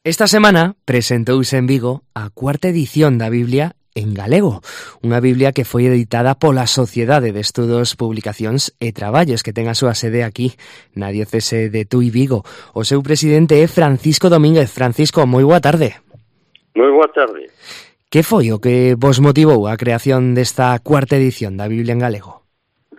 Esta semana presentouse en Vigo a cuarta edición da Biblia en galego, unha Biblia que foi editada pola Sociedade de Estudos, Publicacións e Traballos, que ten a súa sede aquí na diocese de Tui, Vigo. O seu presidente é Francisco Domínguez. Francisco, moi boa tarde. Moi boa tarde. Que foi o que vos motivou a creación desta cuarta edición da Biblia en galego?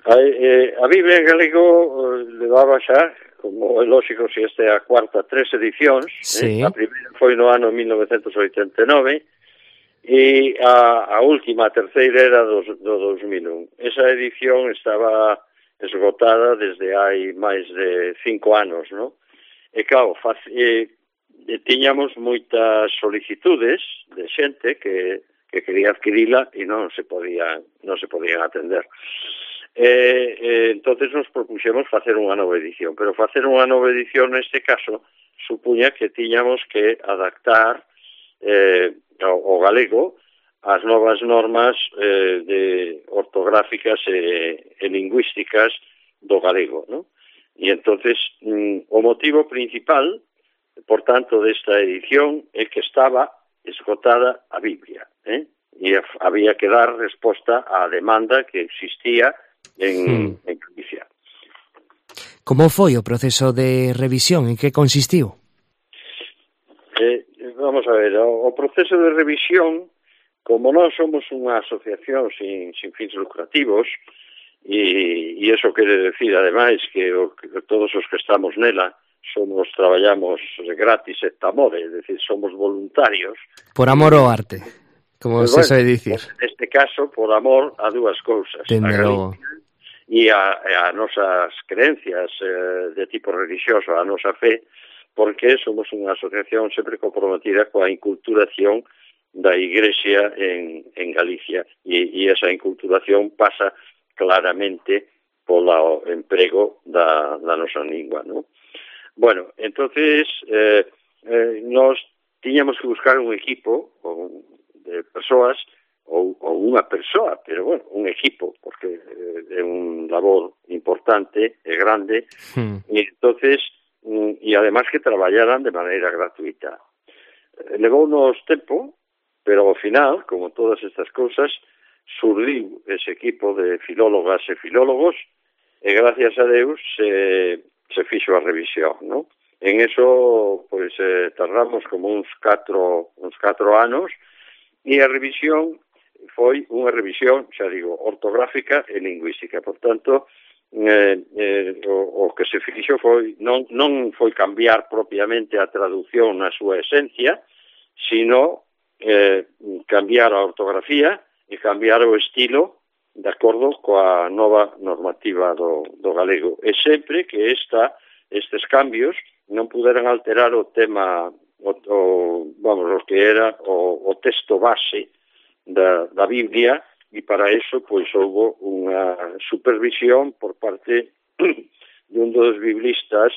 A Biblia en galego levaba xa, como é lógico, se esta é a cuarta, 3 edicións. Sí. A primeira foi no ano 1989 e a última, a terceira, era do 2001. Esa edición estaba esgotada desde hai máis de 5 anos, non? E claro, tiñamos moitas solicitudes de xente que quería adquirila e non se podían atender. Entonces nos propuxemos facer unha nova edición, pero facer unha nova edición neste caso supuña que tiñamos que adaptar o galego ás novas normas ortográficas e lingüísticas do galego, non? E entonces o motivo principal, por tanto, desta edición é que estaba esgotada a Biblia, e había que dar resposta á demanda que existía en Galicia. Como foi o proceso de revisión? En que consistiu? Vamos a ver, o proceso de revisión, como nós somos unha asociación sin fins lucrativos, e iso quere decir, ademais, que todos os que estamos nela traballamos gratis et amore, é dicir, somos voluntarios. Por amor ao arte, como se soe dicir. Neste caso, por amor a dúas cousas. Tendero... E a nosas creencias de tipo religioso, a nosa fe, porque somos unha asociación sempre comprometida coa inculturación da Igrexa en Galicia, e esa inculturación pasa claramente polo emprego da nosa lingua, non? Bueno, entonces nos tiñamos que buscar un equipo de persoas ou unha persoa, pero bueno, un equipo, porque é un labor importante e grande, e entonces e además que traballaran de maneira gratuita. Levounos tempo, pero ao final, como todas estas cousas, surdiu ese equipo de filólogas e filólogos, e gracias a Deus se fixo a revisión, non? En eso, pois, tardamos como uns 4 anos, e a revisión foi unha revisión, xa digo, ortográfica e lingüística. Por tanto, o que se fixo foi non foi cambiar propiamente a traducción na súa esencia, sino cambiar a ortografía e cambiar o estilo de acordo coa nova normativa do galego. E sempre que estes cambios non puderan alterar o tema, o que era o texto base da Biblia, e para eso pois houve unha supervisión por parte de un dos biblistas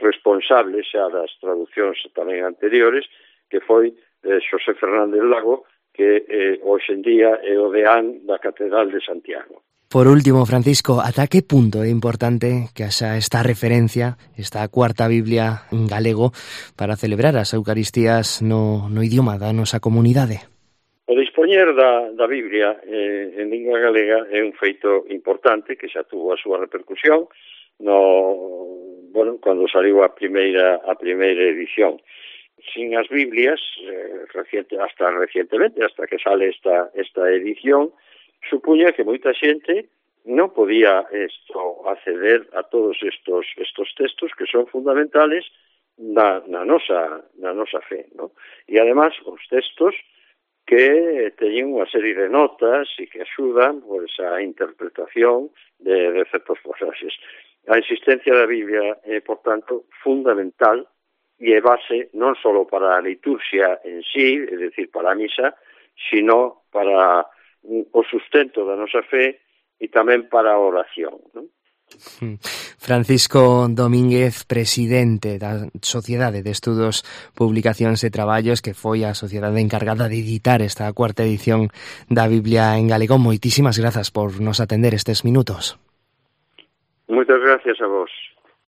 responsables xa das traduccións tamén anteriores, que foi Xosé Fernández Lago, que hoxe en día é o deán da Catedral de Santiago. Por último, Francisco, ata que punto é importante que haxa esta referencia, esta cuarta Biblia en galego, para celebrar as Eucaristías no idioma da nosa comunidade? O dispoñer da Biblia en lingua galega é un feito importante que xa tuvo a súa repercusión cando saliu a primeira edición. Sin as Biblias, hasta recientemente, hasta que sale esta edición, supuña que moita xente non podía acceder a todos estos textos que son fundamentales na nosa fe, ¿no? E además os textos que teñen unha serie de notas e que axudan pois a interpretación de certos pasaxes. A existencia da Biblia é, por tanto, fundamental e é base non só para a liturxia en sí, é dicir, para a misa, sino para o sustento da nosa fe e tamén para a oración, non? Francisco Domínguez, presidente da Sociedade de Estudos, Publicacións e Traballos, que foi a sociedade encargada de editar esta cuarta edición da Biblia en galego. Moitísimas grazas por nos atender estes minutos. Moitas gracias a vos.